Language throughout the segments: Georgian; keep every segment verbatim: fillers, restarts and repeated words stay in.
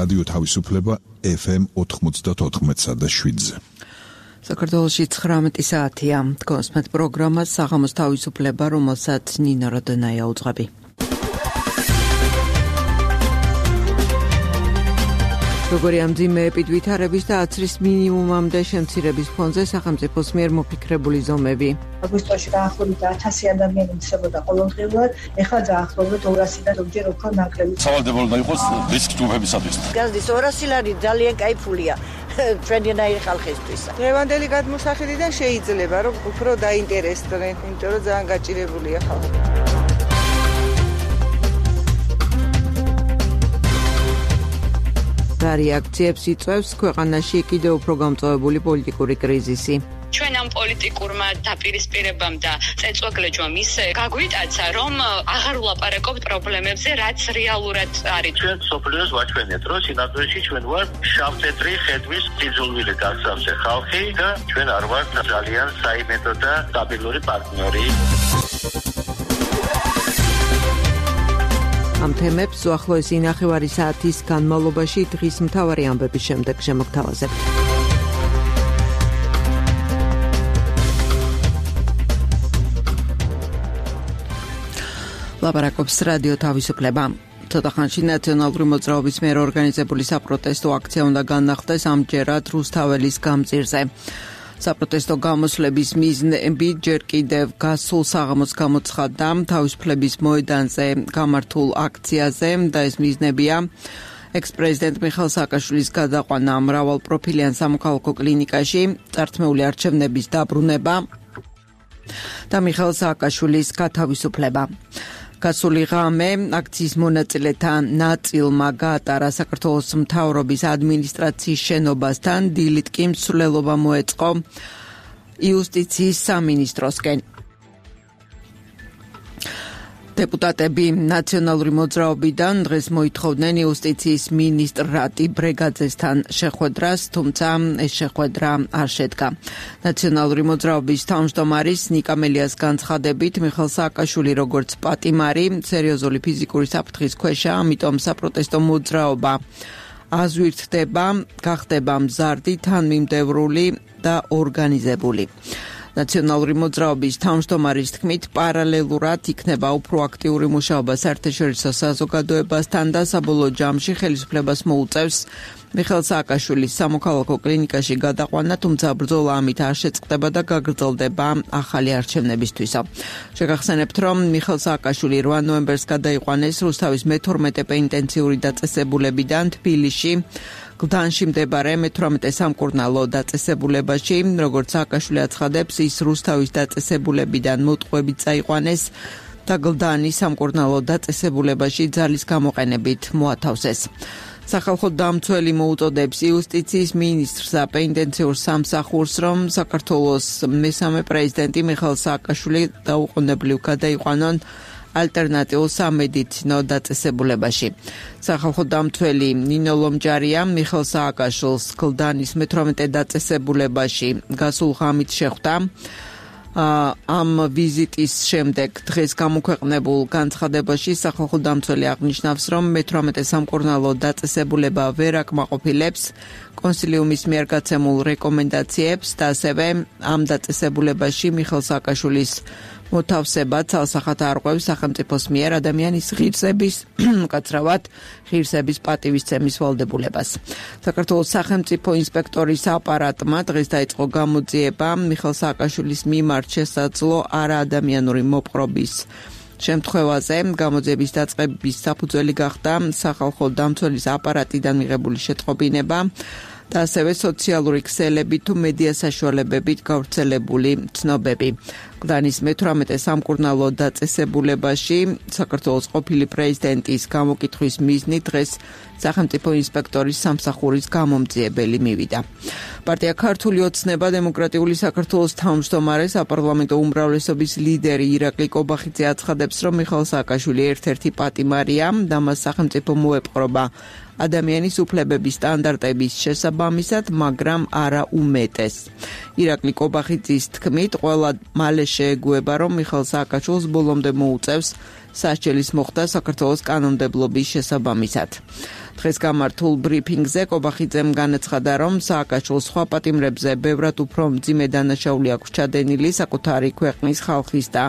რადიო თავისუფლება ეფ ემ ოთხმოცდაოთხ და შვიდზე. საქართველოში ცხრამეტი საათია. კონსმეთ პროგრამა საღამოს თავისუფლება, რომელსაც ნინო როდონაია უძღვები. როგორი ამ ძიმეებით ვითარების და აცრის მინიმუმამდე შემცირების ფონზე სახელმწიფოს მიერ მოფიქრებული ზომები. აგვისტოში დაახლოებით ათასი ადამიანი მცდებოდა ყოველდღიურად, ეხლა დაახლოებით ორასი და ზოგჯერ უფრო ნაკლები. სავალდებულო უნდა იყოს რისკ ჯგუფებისათვის. გაზდის ორასი ლარი ძალიან კაიფულია ჩვენნაირი ხალხისთვის. დღევანდელი გადმოსახედიდან შეიძლება რომ უფრო დაინტერესდნენ, იმიტომ რომ ძალიან გაჭირებულია ხალხი. რეაქციებს იწვევს ქვეყანაში კიდევ უფრო გამწვავებული პოლიტიკური კრიზისი. ჩვენ ამ პოლიტიკურმა დაპირისპირებამ და წეწვაგლეჯვამ ისე გაგვიტაცა, რომ აღარ ვლაპარაკობთ პრობლემებზე, რაც რეალურად არის. ჩვენ სოფლიოს ვაჩვენეთ, რომ სინამდვილეში ჩვენ ვართ შავ-თეთრი ხედვის ძიძულვილი გასავსე ხალხი და ჩვენ არ ვართ ძალიან საიმედო და სტაბილური პარტნიორი. ამ თემებს უახლოესი ნახევარი საათის განმავლობაში დღის მთავარი ამბების შემდეგ შემოგთავაზებთ. ლაპარაკობს რადიო თავისუფლება. ცოტა ხანში ნაციონალური მოძრაობის მიერ ორგანიზებული საპროტესტო აქცია უნდა განახდეს ამჯერად რუსთაველის გამზირზე. საპროტესტო გამოსვლების მიზნები ჯერ კიდევ გასულ საღამოს გამოცხადდა თავისუფლების მოედანზე გამართულ აქციაზე და ეს მიზნებია ექს-პრეზიდენტ მიხეილ სააკაშვილის გადაყვანა მრავალპროფილიან სამოქალაქო კლინიკაში, წართმეული არჩევნების დაბრუნება და მიხეილ სააკაშვილის გათავისუფლება. გასული ღამე აქციის მონაწილეთა ნაწილმა გაატარა საქართველოს მთავრობის ადმინისტრაციის შენობასთან, დილით კი მსვლელობა მოეწყო იუსტიციის სამინისტროსკენ. დეპუტატები ნაციონალური მოძრაობიდან დღეს მოითხოვდნენ იუსტიციის მინისტრ რატი ბრეგაძესთან შეხვედრას, თუმცა ეს შეხვედრა არ შედგა. ნაციონალური მოძრაობის თავმჯდომარის ნიკა მელიას განცხადებით, მიხეილ სააკაშვილი როგორც პატიმარი სერიოზული ფიზიკური საფრთხის ქვეშა, ამიტომ საპროტესტო მოძრაობა აზვირთდება, გახდება მზარდი, თანმიმდევრული და ორგანიზებული. ნაციონალური მოძრაობის თავმჯდომარის თქმით, პარალელურად იქნება უფრო აქტიური მუშაობა საერთაშორისო საზოგადოებასთან და საბოლოო ჯამში ხელისუფლებას მოუწევს მიხეილ სააკაშვილის სამოქალაქო კლინიკაში გადაყვანა, თუმცა ბრძოლა ამით არ შეწყდება და გაგრძელდება ახალი არჩევნებისთვისო. შეგახსენებთ, რომ მიხეილ სააკაშვილი რვა ნოემბერს გადაიყვანეს რუსთავის მეთორმეტე პენიტენციური დაწესებულებიდან თბილისში, გლდანში მდებარე მეთვრამეტე სამკურნალო დაწესებულებაში. როგორც სააკაშვილი აცხადებს, ის რუსთავის დაწესებულებიდან მოტყუებით წაიყვანეს და გლდანის სამკურნალო დაწესებულებაში ძალის გამოყენებით მოათავსეს. სახალხო დამცველი მოუწოდებს იუსტიციის მინისტრს და პენიტენციურ სამსახურს, რომ საქართველოს მესამე პრეზიდენტი მიხეილ სააკაშვილი დაუყოვნებლივ გადაიყვანონ ალტერნატიულ სამედიცინო დაწესებულებაში. სახალხო დამცველი ნინო ლომჯარია მიხეილ სააკაშვილს გლდანის მეთვრამეტე დაწესებულებაში გასულ ღამით შეხვდა. ამ ვიზიტის შემდეგ დღეს გამოქვეყნებულ განცხადებაში სახალხო დამცველი აღნიშნავს, რომ მეთვრამეტე სამკურნალო დაწესებულება ვერ აკმაყოფილებს კონსილიუმის მიერ გაცემულ რეკომენდაციებს და ასევე ამ დაწესებულებაში მიხეილ სააკაშვილის მოთავსება ცალსახად არღვევს სახელმწიფოს მიერ ადამიანის ღირსების, უკაცრავად ღირსების პატივისცემის ვალდებულებას. საქართველოს სახელმწიფო ინსპექტორის აპარატმა დღეს დაიწყო გამოძიება მიხეილ სააკაშვილის მიმართ შესაძლო არაადამიანური მოპყრობის შემთხვევაზე. გამოძიების დაწყების საფუძველი გახდა სახალხო დამცველის აპარატიდან მიღებული შეტყობინება და ასევე სოციალური ქსელები თუ მედია საშუალებებით გავრცელებული ცნობები. გლდანის მეთვრამეტე სამკურნალო დაწესებულებაში საქართველოს ყოფილი პრეზიდენტის გამოკითხვის მიზნით დღეს სახელმწიფო ინსპექტორის სამსახურის გამომძიებელი მივიდა. პარტია ქართული ოცნება დემოკრატიული საქართველოს თავმჯდომარე საპარლამენტო უმრავლესობის ლიდერი ირაკლი კობახიძე აცხადებს, რომ მიხეილ სააკაშვილი ერთ-ერთი პატიმარია და მას სახელმწიფო მოეპყრობა ადამიანის უფლებების სტანდარტების შესაბამისად, მაგრამ არა უმეტეს. ირაკლი კობახიძის თქმით, ყველა მალე შეეგუება, რომ მიხეილ სააკაშვილს ბოლომდე მოუწევს სასჯელის მოხდა საქართველოს კანონმდებლობის შესაბამისად. დღეს გამართულ ბრიფინგზე კობახიძემ განაცხადა, რომ სააკაშვილს სხვა პატიმრებზე ბევრად უფრო მძიმე დანაშაული აქვს ჩადენილი საკუთარი ქვეყნის ხალხის და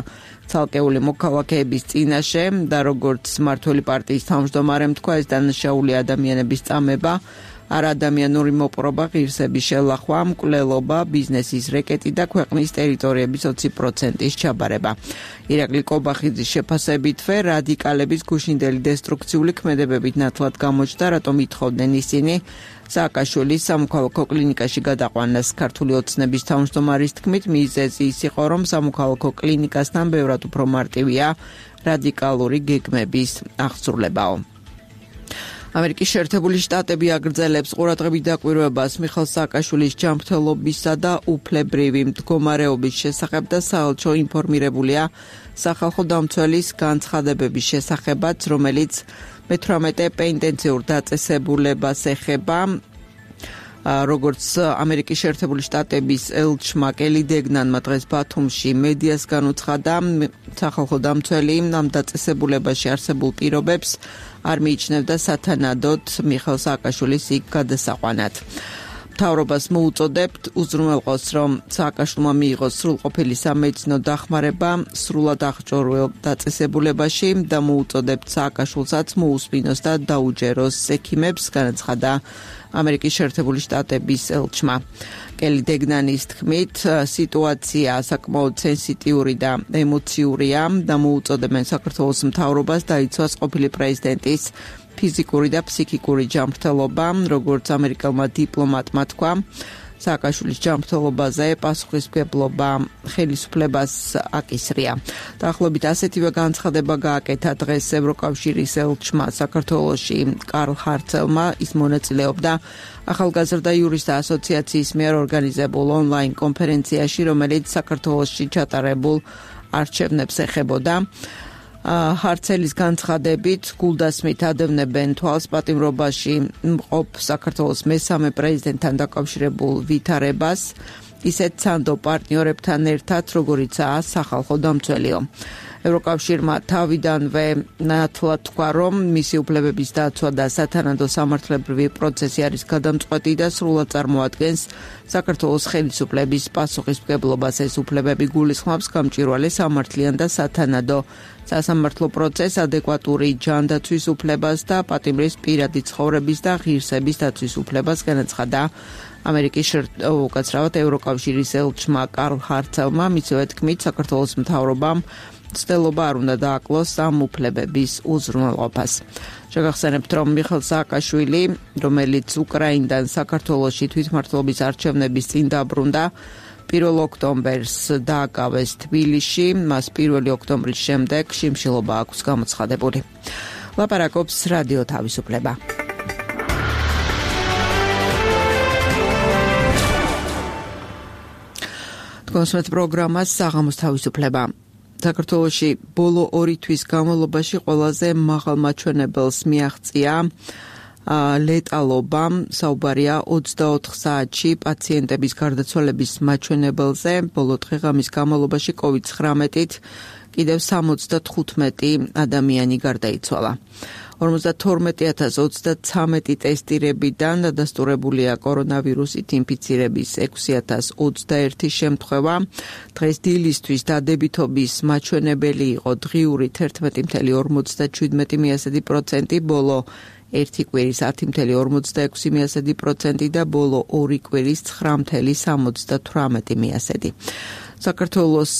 ცალკეული მოქალაქეების წინაშე და როგორც მმართველი პარტიის თავმჯდომარემ თქვა, ეს დანაშაული ადამიანების წამება, არაადამიანური მოპყრობა, ღირსების შელახვა, მკვლელობა, ბიზნესის რეკეტი და ქვეყნის ტერიტორიების ოცი პროცენტის ჩაბარება. ირაკლი კობახიძის შეფასებითვე რადიკალების გუშინდელი დესტრუქციული ქმედებებით ნათლად გამოჩნდა, რატომ ითხოვდნენ ისინი სააკაშვილის სამოქალაქო კლინიკაში გადაყვანას. ქართული ოცნების თავმჯდომარის თქმით, მიზეზი ის იყო, რომ სამოქალაქო კლინიკასთან ბევრად უფრო მარტივია რადიკალური გეგმების აღსრულებაო. ამერიკის შეერთებული შტატები აგრძელებს ყურადღებით დაკვირვებას მიხეილ სააკაშვილის ჯანმრთელობისა და უფლებრივი მდგომარეობის შესახებ და საელჩო ინფორმირებულია სახალხო დამცველის განცხადებების შესახებაც, რომელიც მეთვრამეტე პენტენციურ დაწესებულებას ეხება. როგორც ამერიკის შეერთებული შტატების ელჩმა კელი დეგნანმა დღეს ბათუმში მედიას განუცხადა, სახალხო დამცველი ამ დაწესებულებაში არსებულ პირობებს არ მიიჩნევდა სათანადოდ მიხეილ სააკაშვილის იქ გადასაყვანად. მთავრობას მოუწოდებთ უზრუნველყოს, რომ სააკაშვილმა მიიღოს სრულყოფილი სამედიცინო დახმარება სრულად აღჭურვილ დაწესებულებაში და მოუწოდებთ სააკაშვილსაც მოусმინოს და დაუჯეროს ექიმებს, განაცხადა ამერიკის შეერთებული შტატების ელჩმა. კელი დეგნანის თქმით, სიტუაცია საკმაოდ სენსიტიური და ემოციურია და მოუწოდებენ საქართველოს მთავრობას დაიცვას ყოფილი პრეზიდენტის ფიზიკური და ფსიქიკური ჯანმრთელობა, როგორც ამერიკელმა დიპლომატმა თქვა. სააკაშვილის ჯანმრთელობაზე პასუხისმგებლობა ხელისუფლებას აკისრია. დაახლოებით ასეთივე განცხადება გააკეთა დღეს ევროკავშირის ელჩმა საქართველოში კარლ ჰარცელმა. ის მონაწილეობდა ახალგაზრდა იურისტთა ასოციაციის მიერ ორგანიზებულ ონლაინ კონფერენციაში, რომელიც საქართველოში ჩატარებულ არჩევნებს ეხებოდა. ჰარცელის განცხადებით გულდასმით ადევნებენ თვალს პატიმრობაში მყოფ საქართველოს მესამე პრეზიდენტთან დაკავშირებულ ვითარებას, ისეთ სანდო პარტნიორებთან ერთად, როგორიცაა სახალხო დამცველიო. ევროკავშირმა თავიდანვე ნათლად თქვა, რომ მისი უფლებების დაცვა და სათანადო სამართლებრივი პროცესი არის გადამწყვეტი და სრულად წარმოადგენს საქართველოს ხელისუფლების პასუხისმგებლობას. ეს უფლებები გულისხმობს გამჭვირვალე სამართლიან და სათანადო სასამართლო პროცესს, ადეკვატური ჯანდაცვის უფლებას და პატიმრის პირადი ცხოვრების და ღირსების დაცვის უფლებას, განაცხადა ამერიკის უკაცრავად ევროკავშირის ელჩმა კარლ ჰარცელმა. მისივე თქმით, საქართველოს მთავრობამ ცდელობა არ უნდა დააკლოს ამ უფლებების უზრუნველყოფას. შეგახსენებთ, რომ მიხეილ სააკაშვილი, რომელიც უკრაინიდან საქართველოში თვითმმართველობის არჩევნების წინ დაბრუნდა, პირველ ოქტომბერს დააკავეს თბილისში, მას პირველი ოქტომბრის შემდეგ შიმშილობა აქვს გამოცხადებული. ლაპარაკობს რადიო თავისუფლება. თქვენსმეთ პროგრამას საღამოს თავისუფლება. საქართველოში ბოლო ორი თვის განმავლობაში ყველაზე მაღალ მაჩვენებელს მიაღწია ლეტალობა. საუბარია ოცდაოთხ საათში პაციენტების გარდაცვალების მაჩვენებელზე. ბოლო დღე-ღამის განმავლობაში კოვიდ ცხრამეტით კიდევ სამოცდათხუთმეტი ადამიანი გარდაიცვალა. ორმოცდათორმეტი ათას ოცდაცამეტი ტესტირებიდან დადასტურებულია კორონავირუსით ინფიცირების ექვსი ათას ოცდაერთი შემთხვევა. დღეს დილისთვის დადებითობის მაჩვენებელი იყო დღიური თერთმეტი წუთი ორმოცდაშვიდმეტი პროცენტი, ბოლო ერთი კვირის ათი წუთი ორმოცდაექვსი პროცენტი და ბოლო ორი კვირის ცხრა წუთი სამოცდათვრამეტი პროცენტი. საქართველოს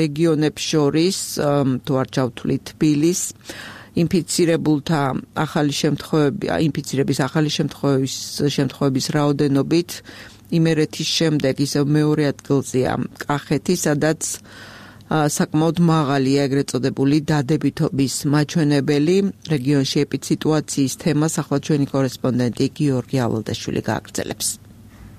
რეგიონებს შორის, თუ არ ჩავთვლით თბილისს, ინფიცირებულთა ახალი შემთხვევები, ინფიცირების ახალი შემთხვევების შემთხვევების რაოდენობით იმერეთის შემდეგ ისევ მეორე ადგილზეა კახეთი, სადაც საკმაოდ მაღალია ეგრეთ წოდებული დადებითობის მაჩვენებელი. რეგიონში ეპიდსიტუაციის თემას ახლა ჩვენი კორესპონდენტი გიორგი ალოდაშვილი გააგრძელებს.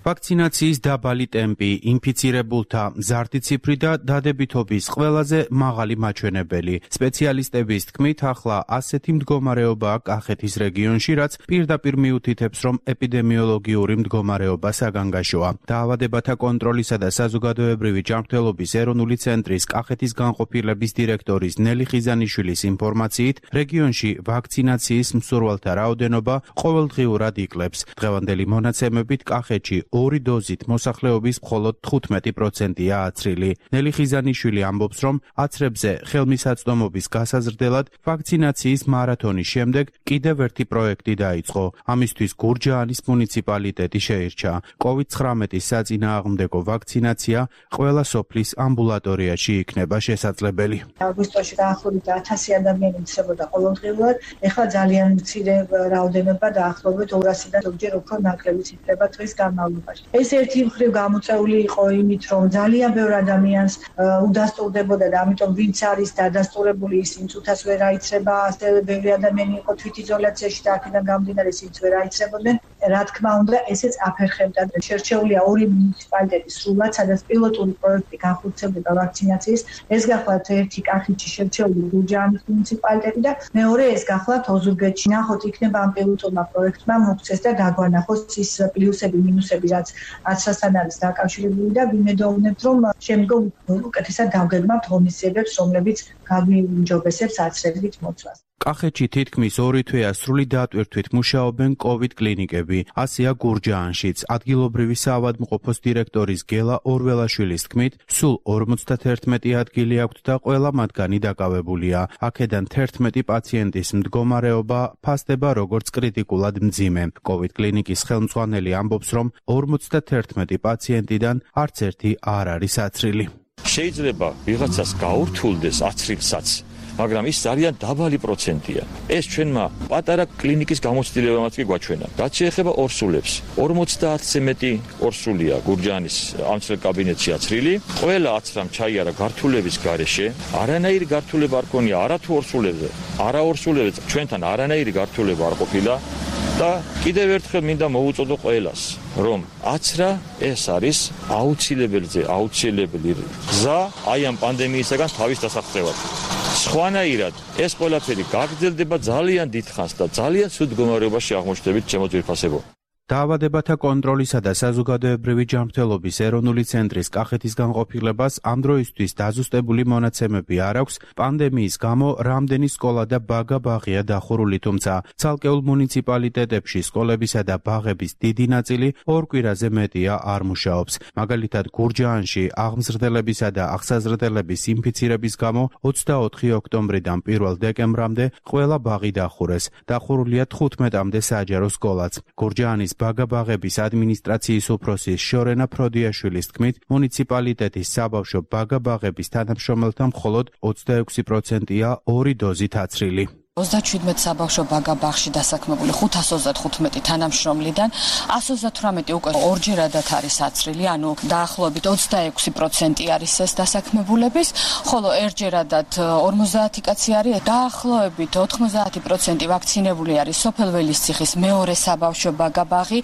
ვაქცინაციის დაბალი ტემპი, ინფიცირებულთა მზარდი ციფრი და დადებითობის ყველაზე მაღალი მაჩვენებელი. სპეციალისტების თქმით, ახლა ასეთი მდგომარეობაა კახეთის რეგიონში, რაც პირდაპირ მიუთითებს, რომ ეპიდემიოლოგიური მდგომარეობა საგანგაშოა. დაავადებათა კონტროლისა და საზოგადოებრივი ჯანმრთელობის ეროვნული ცენტრის კახეთის განყოფილების დირექტორის ნელი ხიზანიშვილის ინფორმაციით, რეგიონში ვაქცინაციის მსურვალთა რაოდენობა ყოველდღიურად იკლებს. დღევანდელი მონაცემებით კახეთში ორი დოზით მოსახლეობის მხოლოდ თხუთმეტი პროცენტია აცრილი. ნელი ხიზანიშვილი ამბობს, რომ აცრებზე ხელმისაწვდომობის გასაზრდელად ვაქცინაციის მარათონის შემდეგ კიდევ ერთი პროექტი დაიწყო. ამისთვის გურჯაანის მუნიციპალიტეტი შეირჩა. კოვიდ ცხრამეტის საწინააღმდეგო ვაქცინაცია ყველა სოფლის ამბულატორიაში იქნება შესაძლებელი. აგვისტოში დაახლოებით ათასი ადამიანი მცრებოდა ყოველდღიურად, ეხლა ძალიან მცირე რაოდენობა დაახლოებით ორასი და ზოგჯერ უფრო ნაკლები ციფრება დღის განმავლობაში. ეს ერთი მხრივ გამოწეული იყო იმით, რომ ძალიან ბევრ ადამიანს უდასტურდებოდა და ამიტომ ვინც არის დადასტურებული ის იმ წუთას ვერ აიცრება, ასევე ბევრი ადამიანი იყო თვითიზოლაციაში და აქედან გამომდინარე ისინიც ვერ აიცრებოდნენ. რა თქმა უნდა, ესეც აფერხებდა. შერჩეულია ორი მუნიციპალიტეტი სრულად, სადაც პილოტური პროექტი განხორციელდება ვაქცინაციის. ეს გახლავთ ერთი კახეთში შერჩეული გურჯაანის მუნიციპალიტეტი და მეორე ეს გახლავთ ოზურგეთში. ნახოთ, იქნება ამ პილოტურმა პროექტმა მოგვცეს და გაგვანახოს ის პლუსები, მინუსები, რაც აცრასთან არის დაკავშირებული და ვიმედოვნებთ, რომ შემდგომ უკეთესად დავგეგმავთ ღონისძიებებს, რომლებიც გაგვიმჯობესებს აცრებით მოცვას. კახეთში თითქმის ორი თვეა სრული დატვირთვით მუშაობენ კოვიდ კლინიკები. ასეა გურჯაანშიც. ადგილობრივი საავადმყოფოს დირექტორის გელა ორველაშვილის თქმით, სულ ორმოცდაერთმეტი ადგილი აქვთ და ყველა მათგანი დაკავებულია. აქედან თერთმეტი პაციენტის მდგომარეობა ფასდება როგორც კრიტიკულად მძიმე. კოვიდ კლინიკის ხელმძღვანელი ამბობს, რომ ორმოცდაერთმეტი პაციენტიდან არც ერთი არ არის აცრილი. შეიძლება ვიღაცას გაურთულდეს აცრილსაც, მაგრამ ის ძალიან დაბალი პროცენტია. ეს ჩვენმა პატარა კლინიკის გამოცდილებამაც კი გვაჩვენა. რაც შეეხება ორსულებს, ორმოცდაათზე მეტი ორსულია გურჯაანის ამცრელ კაბინეტში აცრილი. ყველა აცრამ ჩაიარა გართულების გარეშე. არანაირი გართულება არ ქონია არა თუ ორსულებზე, არა ორსულებზე, ჩვენთან არანაირი გართულება არ ყოფილა. და კიდევ ერთხელ მინდა მოუწოდო ყველას, რომ აცრა ეს არის აუცილებელზე აუცილებელი გზა აი ამ პანდემიისაგან თავის დასაღწევად. სხვანაირად ეს ყველაფერი გაგრძელდება ძალიან დიდხანს და ძალიან ცუდ მდგომარეობაში აღმოჩნდებით ჩემო ძვირფასებო. დაავადებათა კონტროლისა და საზოგადოებრივი ჯანმრთელობის ეროვნული ცენტრის კახეთის განყოფილებას ამ დროისთვის დაზუსტებული მონაცემები არ აქვს. პანდემიის გამო რამდენი სკოლა და ბაგა ბაღია დახურული, თუმცა ცალკეულ მუნიციპალიტეტებში სკოლებისა და ბაღების დიდი ნაწილი ორ კვირაზე მეტია არ მუშაობს. მაგალითად, გურჯაანში აღმზრდელებისა და აღსაზრდელების ინფიცირების გამო ოცდაოთხი ოქტომბრიდან პირველ დეკემბრამდე ყველა ბაღი დახურეს. დახურულია თხუთმეტამდე საჯარო სკოლაც. გურჯაანის ბაგა-ბაღების ადმინისტრაციის უფროსის შორენა ფროდიაშვილის თქმით, მუნიციპალიტეტის საბავშვო ბაგა-ბაღების თანამშრომელთა მხოლოდ ოცდაექვსი პროცენტია ორი დოზით აცრილი. ოცდაჩვიდმეტ საბავშვო ბაგა-ბაღში დასაქმებული ხუთას ოცდათხუთმეტი თანამშრომლიდან ასს ოცდათვრამეტი უკვე ორჯერადად არის აცრილი, ანუ დაახლოებით ოცდაექვსი პროცენტი არის ეს დასაქმებულების, ხოლო ერთჯერადად ორმოცდაათი კაცი არის, დაახლოებით ოთხმოცდაათი პროცენტი ვაქცინებული არის სოფელ ველისციხის მეორე საბავშვო ბაგა-ბაღი,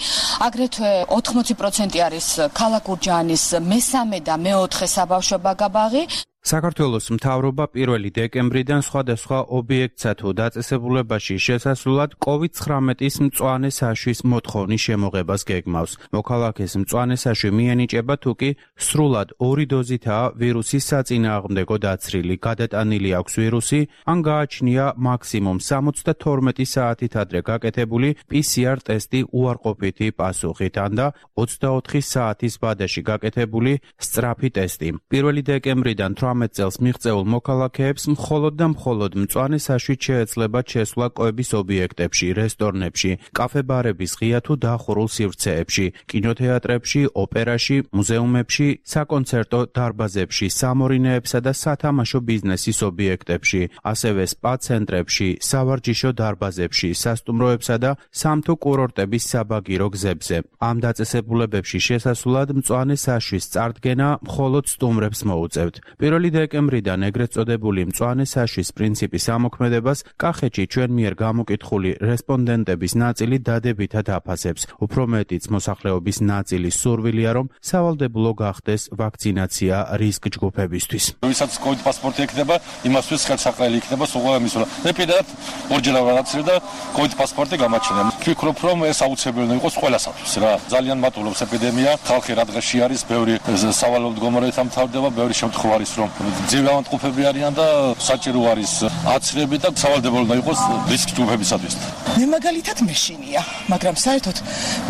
აგრეთვე ოთხმოცი პროცენტი არის ქალაქ გურჯაანის მესამე და მეოთხე საბავშვო ბაგა-ბაღი. საქართველოს მთავრობა პირველი დეკემბრიდან სხვადასხვა ობიექტსა თუ დაწესებულებაში შესასვლელად კოვიდ ცხრამეტის მწვანე საშვის მოთხოვნის შემოღებას გეგმავს. მოქალაქეს მწვანე საშვი მიენიჭება თუ კი სრულად ორი დოზითაა ვირუსის საწინააღმდეგო დაცრილი, გადატანილი აქვს ვირუსი, ან გააჩნია მაქსიმუმ სამოცდათორმეტი საათით ადრე გაკეთებული პი სი არ ტესტი უარყოფითი პასუხით, ან და ოცდაოთხი საათის ვადაში გაკეთებული სწრაფი ტესტი. პირველი დეკემბრიდან თვრამეტ წელს მიღწეულ მოქალაქეებს მხოლოდ და მხოლოდ მწვანე საშვით შეეძლებათ შესვლა კვების ობიექტებში, რესტორნებში, კაფე-ბარების ღია თუ დახურულ სივრცეებში, კინოთეატრებში, ოპერაში, მუზეუმებში, საკონცერტო დარბაზებში, სამორინეებსა და სათამაშო ბიზნესის ობიექტებში, ასევე სპა ცენტრებში, სავარჯიშო დარბაზებში, სასტუმროებსა და სამთო კურორტების საბაგირო გზებზე. ამ დაწესებულებებში შესასვლელად მწვანე საშვის წარდგენა მხოლოდ სტუმრებს მოუწევთ. პირველი პირველი დეკემბრიდან ეგრეთ წოდებული მწვანე საშვის პრინციპის ამოქმედებას კახეთში ჩვენ მიერ გამოკითხული რესპონდენტების ნაწილი დადებითად აფასებს. უფრო მეტიც მოსახლეობის ნაწილის სურვილია, რომ სავალდებულო გახდეს ვაქცინაცია რისკ ჯგუფებისთვის. ვისაც კოვიდ პასპორტი ექნება, იმასთვის ხელსაყრელი იქნება სულ ამის რა. მე პირადად ორჯერ ავარაცრე და კოვიდ პასპორტი გამაჩნია. ვფიქრობ, რომ ეს აუცილებელი იყოს ყველასათვის რა. ძალიან მატულობს ეპიდემია, ხალხი რა დღეში არის, ბევრი სავალალო მდგომარეობამ თავდება, ბევრი შემთხვევა არის, რომ ძილავანტყოფები არიან და საჭირო არის აცრები და სავალდებულო უნდა იყოს რისკ ჯგუფებისათვის. მე მაგალითად მეშინია, მაგრამ საერთოდ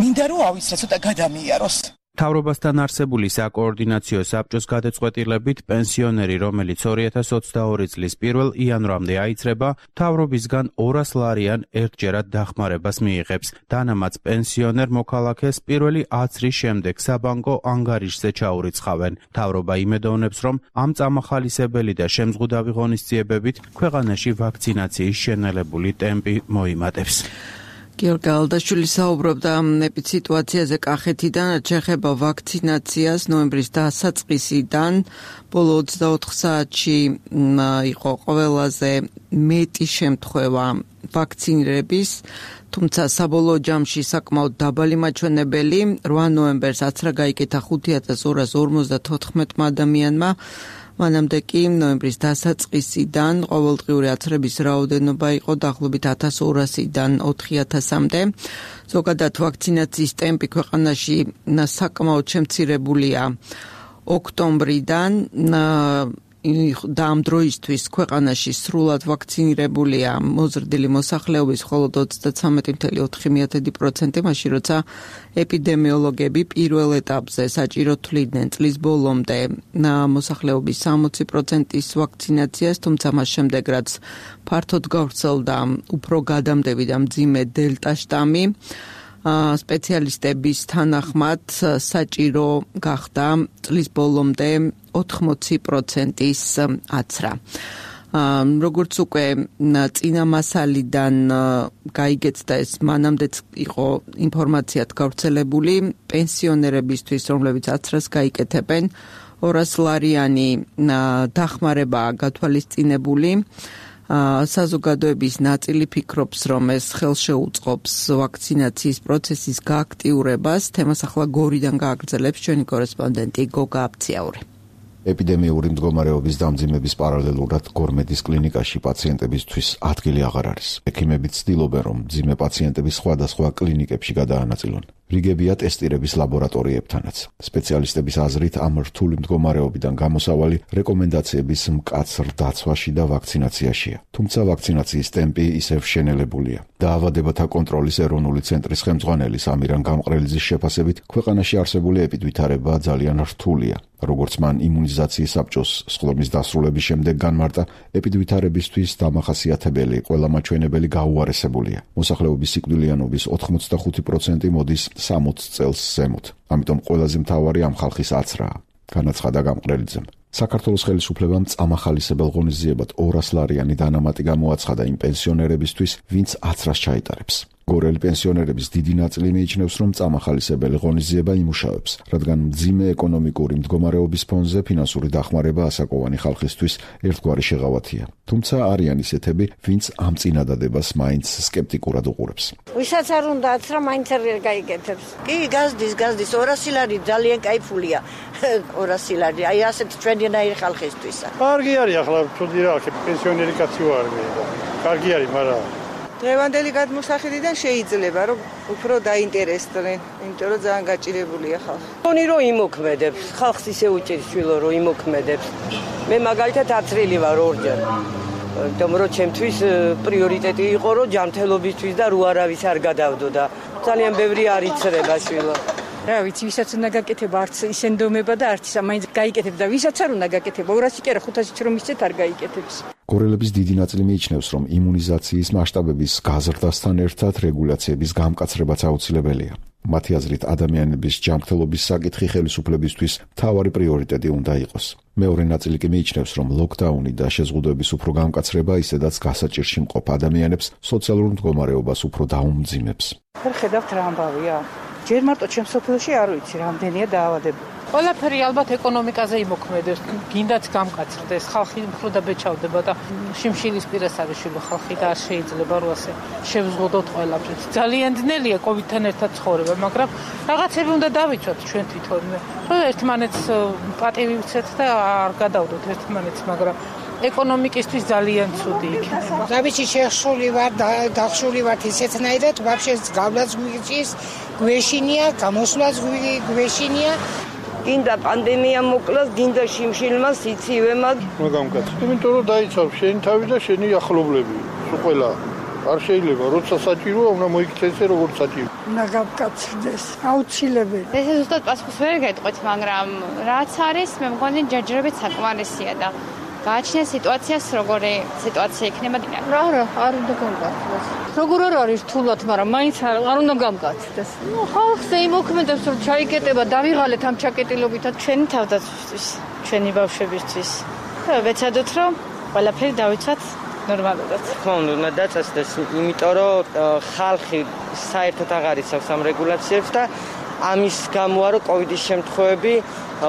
მინდა რომ ავიცრა ცოტა გადამიაროს. მთავრობასთან არსებული საკოორდინაციო საბჭოს გადაწყვეტილებით პენსიონერი, რომელიც ორი ათას ოცდაორი წლის პირველ იანვრამდე აიცრება, მთავრობისგან ორას ლარიან ერთჯერად დახმარებას მიიღებს. დანამაც პენსიონერ მოქალაქეს პირველი აცრის შემდეგ საბანკო ანგარიშზე ჩაურიცხავენ. მთავრობა იმედოვნებს, რომ ამ წამახალისებელი და შემზღუდავი ღონისძიებებით ქვეყანაში ვაქცინაციის შენელებული ტემპი მოიმატებს. გიორგი ალდაშვილი საუბრობდა ეპიდსიტუაციაზე კახეთიდან, შეეხება ვაქცინაციას ნოემბრის დასაწყისიდან ბოლო ოცდაოთხ საათში იყო ყველაზე მეტი შემთხვევა ვაქცინირების, თუმცა საბოლოო ჯამში საკმაოდ დაბალი მაჩვენებელი, რვა ნოემბერს აცრა გაიკეთა ხუთი ათას ორას ორმოცდათოთხმეტმა ადამიანმა. მანამდე კი ნოემბრის დასაწყისიდან ყოველდღიური აცრების რაოდენობა იყო დაახლოებით ათას ორასიდან ოთხი ათასამდე. ზოგადად ვაქცინაციის ტემპი ქვეყანაში საკმაოდ შემცირებულია ოქტომბრიდან და ამ დროისთვის ქვეყანაში სრულად ვაქცინირებულია მოზრდილი მოსახლეობის მხოლოდ ოცდაცამეტი წუთი ოთხი პროცენტი, მაშინ როცა ეპიდემიოლოგები პირველ ეტაპზე საჭირო თვლიდნენ წლის ბოლომდე მოსახლეობის სამოცი პროცენტის ვაქცინაციას, თუმცა მას შემდეგ რაც ფართოდ გავრცელდა უფრო გადამდები და მძიმე დელტა შტამი, სპეციალისტების თანახმად საჭირო გახდა წლის ბოლომდე ოთხმოცი პროცენტის აცრა. როგორც უკვე წინამასალიდან გაიგეცდა, ეს მანამდეც იყო ინფორმაციად გავრცელებული, პენსიონერებისთვის, რომლებიც აცრას გაიკეთებენ, ორას ლარიანი დახმარებაა გათვალისწინებული. საზოგადოების ნაწილი ფიქრობს, რომ ეს ხელშეუწყობს ვაქცინაციის პროცესის გააქტიურებას. თემას ახლა გორიდან გააგრძელებს ჩვენი კორესპონდენტი გოგა აფციაური. ეპიდემიური მდგომარეობის დამძიმების პარალელურად გორმედის კლინიკაში პაციენტებისთვის ადგილი აღარ არის. ექიმები ცდილობენ, რომ მძიმე პაციენტები სხვადასხვა კლინიკებში გადაანაწილონ. რიგებია ტესტირების ლაბორატორიებთანაც. სპეციალისტების აზრით, ამ რთული მდგომარეობიდან გამოსავალი რეკომენდაციების მკაცრ დაცვაში და ვაქცინაციაშია. თუმცა ვაქცინაციის ტემპი ისევ შენელებულია. დაავადებათა კონტროლის ეროვნული ცენტრის ხელმძღვანელი სამირან გამყრელიძის შეფასებით, ქვეყანაში არსებული ეპიდვითარება ძალიან რთულია. როგორც მან იმუნიზაციის საბჭოს სხდომის დასრულების შემდეგ განმარტა, ეპიდვითარებისთვის დამახასიათებელი ყველა მაჩვენებელი გაუარესებულია. მოსახლეობის სიკვდილიანობის ოთხმოცდახუთი პროცენტი მოდის სამოც წელს ზემოთ. ამიტომ ყველაზე მთავარი ამ ხალხის აცრაა, განაცხადა გამყრელიძემ. საქართველოს ხელისუფლებამ წამახალისებელ ღონისძიებად ორას ლარიანი დანამატი გამოაცხადა იმ პენსიონერებისთვის, ვინც აცრას ჩაიტარებს. გორელი პენსიონერების დიდი ნაწილი მიიჩნევს, რომ წამახალისებელი ღონისძიება იმუშავებს, რადგან მძიმე ეკონომიკური მდგომარეობის ფონზე ფინანსური დახმარება ასაკოვანი ხალხისთვის ერთგვარი შეღავათია. თუმცა არიან ისეთები, ვინც ამ წინადადებას მაინც სკეპტიკურად უყურებს. ვისაც არ უნდა აცრა, მაინც არ გაიგეთებს. კი, გაზდის, გაზდის, ორასი ლარი ძალიან кайფულია. ორასი ლარი, აი ასეთ ჩვენნაირი ხალხისთვის. კარგი არის ახლა თუდი რა, პენსიონერი კაცი ვარ მე. კარგი არის, მაგრამ დღევანდელი გადმოსახედიდან შეიძლება რომ უფრო დაინტერესდნენ, იმიტომ რომ ძალიან გაჭირებულია ხალხი. თონი რომ იმოქმედებს, ხალხს ისე უჭირს შვილო რომ იმოქმედებს. მე მაგალითად აცრილი ვარ ორჯერ. იმიტომ რომ ჩემთვის პრიორიტეტი იყო რომ ჯანმრთელობისთვის და რო არავის არ გადავდო და ძალიან ბევრი არ იცრება შვილო. რა ვიცი, ვისაც უნდა გაკეთება, არც ისენდომება და არც მაინც გაიკეთებ და ვისაც არ უნდა გაკეთება, ორასი კი არა, ხუთასიც რომ ისეთ არ გაიკეთებს. გორელების დიდი ნაწილი მიიჩნევს, რომ იმუნიზაციის მასშტაბების გაზრდასთან ერთად რეგულაციების გამკაცრებაც აუცილებელია. მათი აზრით, ადამიანების ჯანმრთელობის საკითხი ხელისუფლებისთვის მთავარი პრიორიტეტი უნდა იყოს. მეორე ნაწილი კი მიიჩნევს, რომ ლოკდაუნი და შეზღუდვების უფრო გამკაცრება ისედაც გასაჭირში მყოფ ადამიანებს სოციალურ მდგომარეობას უფრო დაუმძიმებს. ვერ ხედავთ რა ამბავია? ჯერ მარტო ჩემს სოფელში არ ვიცი რამდენია დაავადებული. ყველაფერი ალბათ ეკონომიკაზე იმოქმედებს, გინდაც გამკაცრდეს, ხალხი უფრო და ბეჭავდება და შიმშილის პირას არის შვილო ხალხი და არ შეიძლება რომ ასე შევზღუდოთ ყველაფერს. ძალიან ძნელია კოვიდთან ერთად ცხოვრება, მაგრამ რაღაცები უნდა დავიცვათ ჩვენ თვითონვე. რომ ერთმანეთს პატივი ვიცეთ და არ გადავდოთ ერთმანეთს, მაგრამ ეკონომიკისთვის ძალიან ცუდი იქნება. დავიცი შეხსული ვარ, დახსული ვარ ისეთნაირად, ვაფშე გავლაც გვიჭის, გვეშინია, გამოსვლაც გვეშინია. გინდა პანდემია მოკლას, გინდა შიმშილმა სიცივემა. რა გამკაც? იმიტომ რომ დაიცავ შენი თავი და შენი ახლობლები, სულ ყველა. არ შეიძლება, როცა საჭიროა, უნდა მოიქცეცე როგორც საჭირო. უნდა გავკაცდეს, აუცილებელი. ეს ზუსტად პასუხს ვერ გეტყვით, მაგრამ რაც არის, მე მგონი ჯერჯერობით საკმარისია და გააჩნია სიტუაციას, როგორი სიტუაცია იქნება. რა რა, არ უნდა გამკაცდეს. როგორ არ არის რთულად, მაგრამ მაინც არ უნდა გამკაცდეს. ნუ ხალხზე იმოქმედებს, რომ ჩაიკეტება, დავიღალეთ ამ ჩაკეტილობითაც ჩვენი თავდაცვისთვის, ჩვენი ბავშვებისთვის. და ვეცადოთ, რომ ყველაფერი დავიცვათ ნორმალურად. ხო, უნდა დაწესდეს, იმიტომ რომ ხალხი საერთოდ აღარ იცავს ამ რეგულაციებს და ამის გამოა რომ კოვიდის შემთხვევები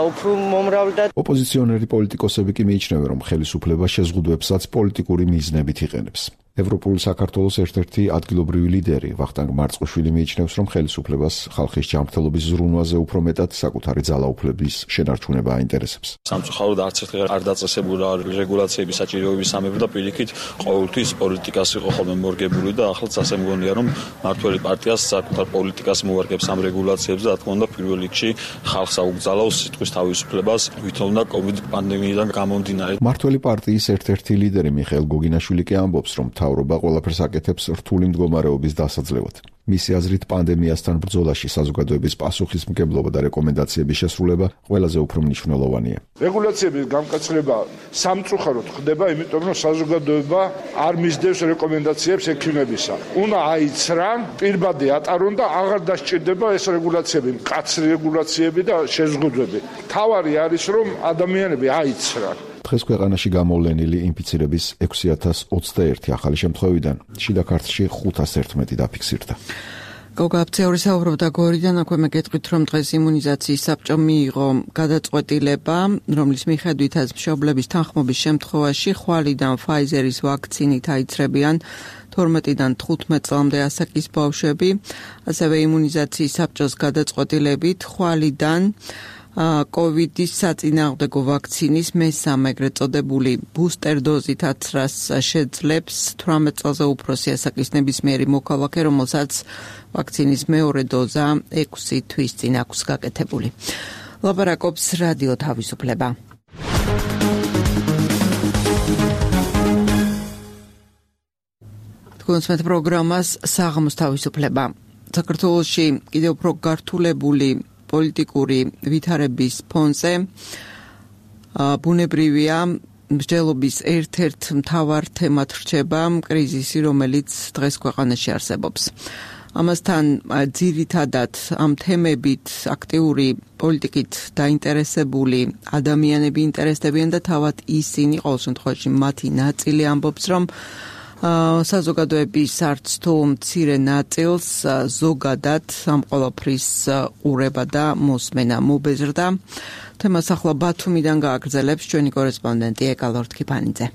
უფრო მომრავლდა. ოპოზიციონერი პოლიტიკოსები კი მიიჩნევენ, რომ ხელისუფლება შეზღუდვებსაც პოლიტიკური მიზნებით იყენებს. ევროპული საქართველოს ერთ-ერთი ადგილობრივი ლიდერი ვახტანგ მარწყუშვილი მიიჩნევს, რომ ხელისუფლებას ხალხის ჯანმრთელობის ზრუნვაზე უფრო მეტად საკუთარი ძალაუფლების შენარჩუნება აინტერესებს. სამწუხაროდ არც ერთხელ არ დაწესებულა რეგულაციების საჭიროების სამეფო და პირიქით ყოველთვის პოლიტიკას იყო ხოლმე მორგებული და ახლაც ასე მგონია, რომ მართველი პარტიას საკუთარ პოლიტიკას მოარგებს ამ რეგულაციებს და რა თქმა უნდა პირველ რიგში ხალხს აუგზავნოს სიტყვის თავისუფლებას, ვითომ და კოვიდ პანდემიიდან გამომდინარე. მართველი პარტიის ერთ-ერთი ლიდერი მიხეილ გოგინაშვილი კი ამბობს, რომ მთავრობა ყველაფერს აკეთებს რთული მდგომარეობის დასაძლევად. მისი აზრით, პანდემიასთან ბრძოლაში საზოგადოების პასუხისმგებლობა და რეკომენდაციების შესრულება ყველაზე უფრო მნიშვნელოვანია. რეგულაციების გამკაცრება სამწუხაროდ ხდება, იმიტომ რომ საზოგადოება არ მისდევს რეკომენდაციებს ექიმებისა. უნდა აიცრა, პირბადე ატარონ და აღარ დასჭირდება ეს რეგულაციები, მკაცრი რეგულაციები და შეზღუდვები. თავარი არის, რომ ადამიანები აიცრან. დღეს ქვეყანაში გამოვლენილი ინფიცირების ექვსი ათას ოცდაერთი ახალი შემთხვევიდან შიდა ქართლში ხუთას ერთმეტი დაფიქსირდა. გოგა აფცეური საუბრობდა გორიდან, აქვე მე გეტყვით, რომ დღეს იმუნიზაციის საბჭო მიიღო გადაწყვეტილება, რომლის მიხედვითაც მშობლების თანხმობის შემთხვევაში ხვალიდან Pfizer-ის ვაქცინით აიცრებიან თორმეტიდან თხუთმეტ წლამდე ასაკის ბავშვები, ასევე იმუნიზაციის საბჭოს გადაწყვეტილებით ხვალიდან კოვიდის საწინააღმდეგო ვაქცინის მესამე ეგრეთ წოდებული ბუსტერ დოზითაც რას შეძლებს თვრამეტ წელზე უფროსი ასაკის ნებისმიერი მოქალაქე, რომელსაც ვაქცინის მეორე დოზა ექვსი თვის წინ აქვს გაკეთებული. ლაპარაკობს რადიო თავისუფლება. თქვენს პროგრამას საღამოს თავისუფლება. საქართველოში კიდევ უფრო გართულებული პოლიტიკური ვითარების ფონზე ბუნებრივია მსჯელობის ერთ-ერთ მთავარ თემად რჩება კრიზისი, რომელიც დღეს ქვეყანაში არსებობს. ამასთან ძირითადად ამ თემებით აქტიური პოლიტიკით დაინტერესებული ადამიანები ინტერესდებიან და თავად ისინი, ყოველ შემთხვევაში მათი ნაწილი ამბობს, რომ საზოგადოების არც თუ მცირე ნაწილს ზოგადად ამ ყველაფრის ყურება და მოსმენა მობეზრდა. თემას ახლა ბათუმიდან გააგრძელებს ჩვენი კორესპონდენტი ეკალორთ ქიფანიძე.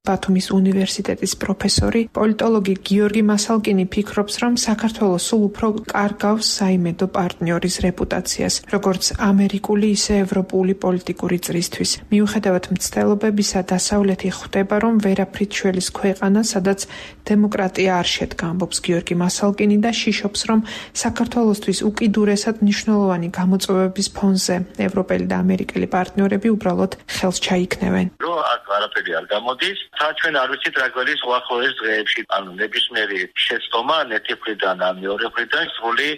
ბათუმის უნივერსიტეტის პროფესორი, პოლიტოლოგი გიორგი მასალკინი ფიქრობს, რომ საქართველოს სულ უფრო კარგავს საიმედო პარტნიორის რეპუტაციას, როგორც ამერიკული, ისე ევროპული პოლიტიკური წრისთვის. მიუხედავად მცდელობებისა, დასავლეთი ხვდება, რომ ვერაფრით შველის ქვეყანა, სადაც დემოკრატია არ შედგა, ამბობს გიორგი მასალკინი და შიშობს, რომ საქართველოსთვის უკიდურესად მნიშვნელოვანი გამოწვევების ფონზე ევროპელი და ამერიკელი პარტნიორები უბრალოდ ხელს ჩაიქნევენ. რომ აქ არაფერი არ გამოდის, თა ჩვენ არ ვიცით რა გვერის უახლოეს დღეებში, ანუ ნებისმიერი შეცდომა ან ერთი მხრიდან ან მეორე მხრიდან სრული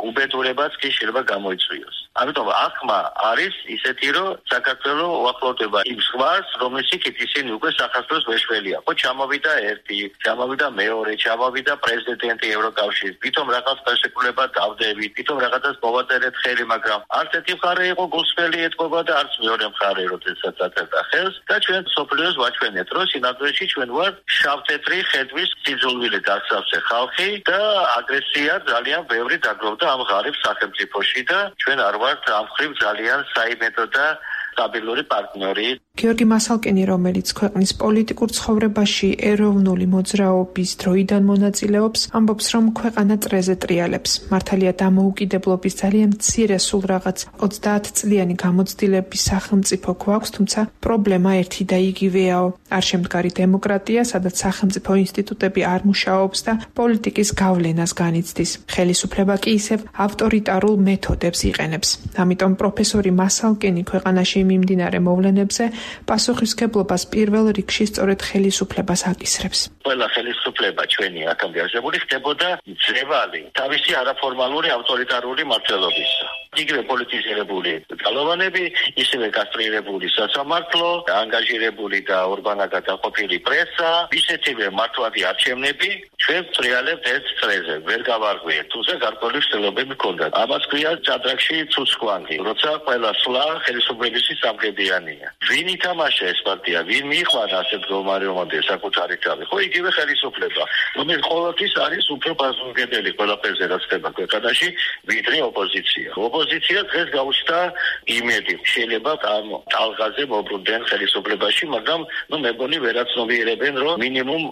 უბედურებაც კი შეიძლება გამოიწვიოს. ამიტომ ახმა არის ისეთი, რომ საქართველო უახლოვდება იმ ზღვას, რომლის იქით ისინი უკვე საქართველოს ვეშველია. ხო, ჩამოვიდა ერთი, ჩამოვიდა მეორე, ჩამოვიდა პრეზიდენტი ევროკავშირის. თვითონ რაღაც ხელშეკრულება დავდებით, თვითონ რაღაცას მოვაწერეთ ხელი, მაგრამ არც ერთი მხარე იყო გულსხმელი ეთქობა და არც მეორე მხარე, როდესაც აწერდა ხელს და ჩვენ სოფლიოს ვაჩვენეთ, რომ სინამდვილეში ჩვენ ვართ შავ-თეთრი ხედვის სიძულვილით აღსავსე ხალხი და აგრესია ძალიან ბევრი დაგროვდა ამ ღარიბ სახელმწიფოში და ჩვენ არ ვართ ამ ხრივ ძალიან საიმედო და სტაბილური პარტნიორი. გიორგი მასალკინი, რომელიც ქვეყნის პოლიტიკურ ცხოვრებაში ეროვნული მოძრაობის დროიდან მონაწილეობს, ამბობს, რომ ქვეყანა წრეზე ტრიალებს. მართალია დამოუკიდებლობის ძალიან მცირე სულ რაღაც ოცდაათ წლიანი გამოცდილების სახელმწიფო გვაქვს, თუმცა პრობლემა ერთი და იგივეაო. არ შემდგარი დემოკრატია, სადაც სახელმწიფო ინსტიტუტები არ მუშაობს და პოლიტიკის გავლენას განიცდის. ხელისუფლება კი ისევ ავტორიტარულ მეთოდებს იყენებს. ამიტომ პროფესორი მასალკინი ქვეყანაში მიმდინარე მოვლენებზე პასუხისმგებლობას პირველ რიგში სწორედ ხელისუფლებას აკისრებს. ყველა ხელისუფლება ჩვენი აქამდე არსებული ხდებოდა ძევალი თავისი არაფორმალური ავტორიტარული მმართველობისა. იგივე პოლიტიზირებული ძალოვანები, ისევე კასტრირებული სასამართლო, ანგაჟირებული და ორბანაკად დაყოფილი პრესა, ისეთივე მართლადი არჩევნები, ჩვენ ვტრიალებთ ერთ წრეზე, ვერ გავარღვიეთ, თუმცა გარკვეული ცდილობები ჰქონდათ. ამას ქვია ჭადრაკში ცუცხვანგი, როცა ყველა სვლა ხელისუფლების სამგებიანია. ვინ ითამაშა ეს პარტია, ვინ მიიყვანა ასეთ მდგომარეობამდე საკუთარი თავი? ხო, იგივე ხელისუფლება, რომელიც ყოველთვის არის უფრო პასუხისმგებელი ყველაფერზე, რაც ხდება ქვეყანაში, ვიდრე ოპოზიცია. ოპოზიცია დღეს გაუჩნდა იმედი, შეიძლება ამ ტალღაზე მოbrunდნენ ხელისუფლებაში, მაგრამ ნუ მეგონი ვერაცნობიერებენ, რომ მინიმუმ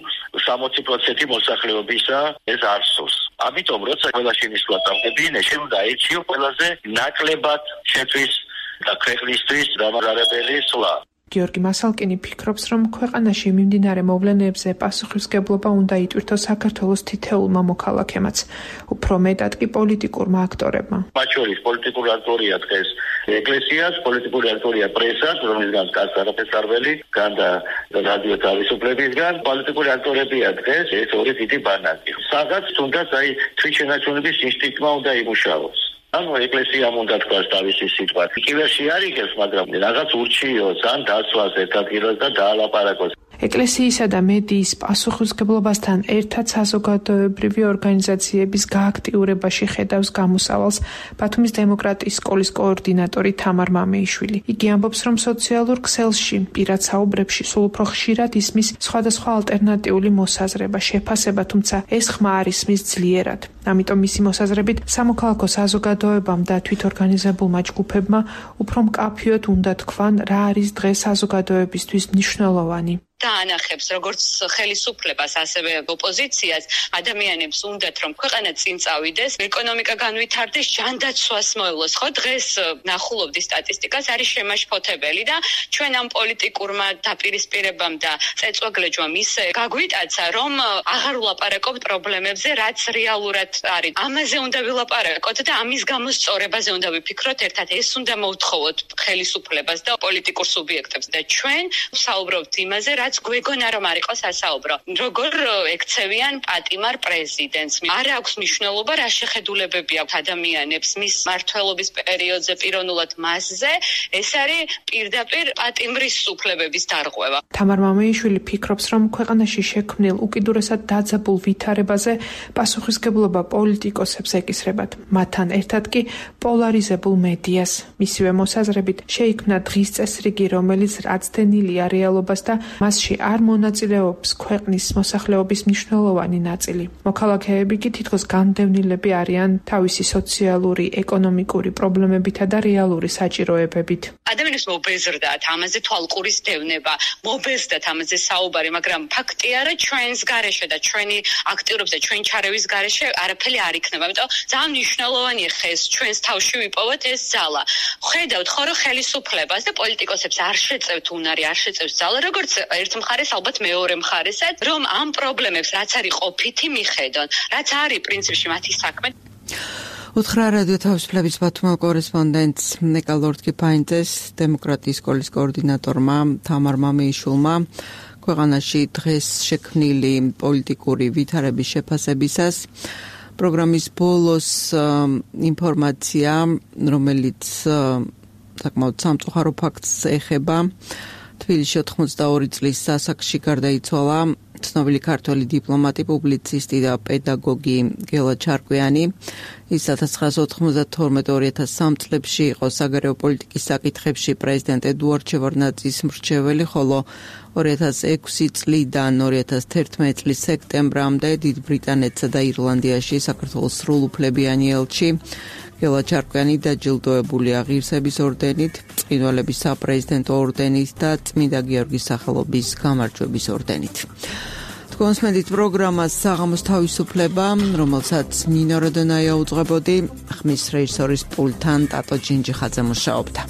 სამოცი პროცენტი მოსახლეობისა ეს არსოს. ამიტომ როცა ყველა შენიშნვა დამდებიან, შენ უნდა ეჩიო ყველაზე ნაკლებად შეთვის და ქვეყნისთვის დამარარებელი სვლა. გიორგი მასალკინი ფიქრობს, რომ ქვეყანაში მიმდინარე მოვლენებზე პასუხისმგებლობა უნდა იტვირთოს საქართველოს თითოეულმა მოქალაქემაც, უფრო მეტად კი პოლიტიკურმა აქტორებმა. მათ შორის პოლიტიკური აქტორია დღეს ეკლესიას, პოლიტიკური აქტორია პრესას, რომელზეც კაც არაფერს არ ველი, გან და რადიო თავისუფლებისგან, პოლიტიკური აქტორებია დღეს ეს ორი დიდი ბანაკი. სადაც თუნდაც აი თვითშენარჩუნების ინსტინქტმა უნდა იმუშაოს. ანუ ეკლესიამ უნდა თქვას თავისი სიტყვა. კიბერში არ იგებს, მაგრამ რაღაც ურჩიოს, ან დასვას ერთ ადგილას და დაალაპარაკოს. ეკლესიისა და მედიის პასუხისმგებლობასთან ერთად საზოგადოებრივი ორგანიზაციების გააქტიურებაში ხედავს გამოსავალს ბათუმის დემოკრატიის სკოლის კოორდინატორი თამარ მამეიშვილი. იგი ამბობს, რომ სოციალურ ქსელში, პირად საუბრებში სულ უფრო ხშირად ისმის სხვადასხვა ალტერნატიული მოსაზრება, შეფასება, თუმცა ეს ხმა არ ისმის ძლიერად. ამიტომ მისი მოსაზრებით სამოქალაქო საზოგადოებამ და თვითორგანიზებულმა ჯგუფებმა უფრო მკაფიოდ უნდა თქვან, რა არის დღეს საზოგადოებისთვის მნიშვნელოვანი. დაანახებს როგორც ხელისუფლებას, ასევე ოპოზიციას, ადამიანებს უნდათ რომ ქვეყანა წინ წავიდეს, ეკონომიკა განვითარდეს, ჯანდაცვას მოევლოს. ხო, დღეს ნახულობდი სტატისტიკას, არის შემაშფოთებელი და ჩვენ ამ პოლიტიკურმა დაპირისპირებამ და წეწვაგლეჯვამ ისე გაგვიტაცა, რომ აღარ ვლაპარაკობთ პრობლემებზე, რაც რეალურად არის. ამაზე უნდა ვილაპარაკოთ და ამის გამოსწორებაზე უნდა ვიფიქროთ ერთად. ეს უნდა მოვთხოვოთ ხელისუფლებას და პოლიტიკურ სუბიექტებს და ჩვენ საუბრობთ იმაზე, რაც გვეგონა რომ არ იყოს ასაუბრო. როგორ ექცევიან პატიმარ პრეზიდენტს. არ აქვს მნიშვნელობა რა შეხედულებები აქვს ადამიანებს მის მმართველობის პერიოდზე პიროვნულად მასზე. ეს არის პირდაპირ პატიმრის უფლებების დარღვევა. თამარ მამეიშვილი ფიქრობს, რომ ქვეყანაში შექმნილ უკიდურესად დაძაბულ ვითარებაზე პასუხისმგებლობა პოლიტიკოსებს ეკისრებათ. მათთან ერთად კი პოლარიზებულ მედიას. მისივე მოსაზრებით შეიქმნა დღის წესრიგი, რომელიც აცდენილია რეალობას და მასში არ მონაწილეობს ქვეყნის მოსახლეობის მნიშვნელოვანი ნაწილი. მოქალაქეები კი თითქოს განდევნილები არიან თავისი სოციალური, ეკონომიკური პრობლემებითა და რეალური საჭიროებებით. ადამიანებს მობეზრდათ ამაზე თვალყურის დევნება, მობეზრდათ ამაზე საუბარი, მაგრამ ფაქტია, რომ ჩვენს გარეშე და ჩვენი აქტიურობის და ჩვენი ჩარევის გარეშე არაფერი არ იქნება. ამიტომ ძალიან მნიშვნელოვანია ხეს ჩვენს თავში ვიპოვოთ ეს ძალა. ხედავთ ხო, რომ ხელისუფლებას და პოლიტიკოსებს არ შეწევთ უნარი, არ შეწევს ძალა, როგორც ერთ მხარეს, ალბათ მეორე მხარესაც, რომ ამ პრობლემებს რაც არის ყოფითი მიხედონ, რაც არის პრინციპში მათი საქმე. უთხრა რადიო თავისუფლების ბათუმელ კორესპონდენტს ნეკა ლორდ-კიფაინძეს, დემოკრატიის სკოლის კოორდინატორმა თამარ მამეიშვილმა ქვეყანაში დღეს შექმნილი პოლიტიკური ვითარების შეფასებისას. პროგრამის ბოლოს ინფორმაცია, რომელიც საკმაოდ სამწუხარო ფაქტს ეხება. თბილისში ოთხმოცდაორი წლის ასაკში გარდაიცვალა ცნობილი ქართველი დიპლომატი, პუბლიცისტი და პედაგოგი გელა ჩარკვიანი. ის ათას ცხრაასა ოთხმოცდათორმეტ ორი ათას სამი წლებში იყო საგარეო პოლიტიკის საკითხებში პრეზიდენტ ედუარდ შევარდნაძის მრჩეველი, ხოლო ორი ათას ექვსი წლიდან ორი ათას თერთმეტი წლის სექტემბრამდე დიდ ბრიტანეთსა და ირლანდიაში საქართველოს სრულუფლებიანი ელჩი. ელვა ჩარკვიანი დაჯილდოებულია ღირსების ორდენით, წყინვალების საპრეზიდენტო ორდენით და წმინდა გიორგის სახელობის გამარჯვების ორდენით. კონსმედით პროგრამას საღამოს თავისუფლება, რომელსაც ნინო როდონაია უძღვებოდი, ხმის რეჟისორის პულტთან ტატო ჯინჯიხაძე მუშაობდა.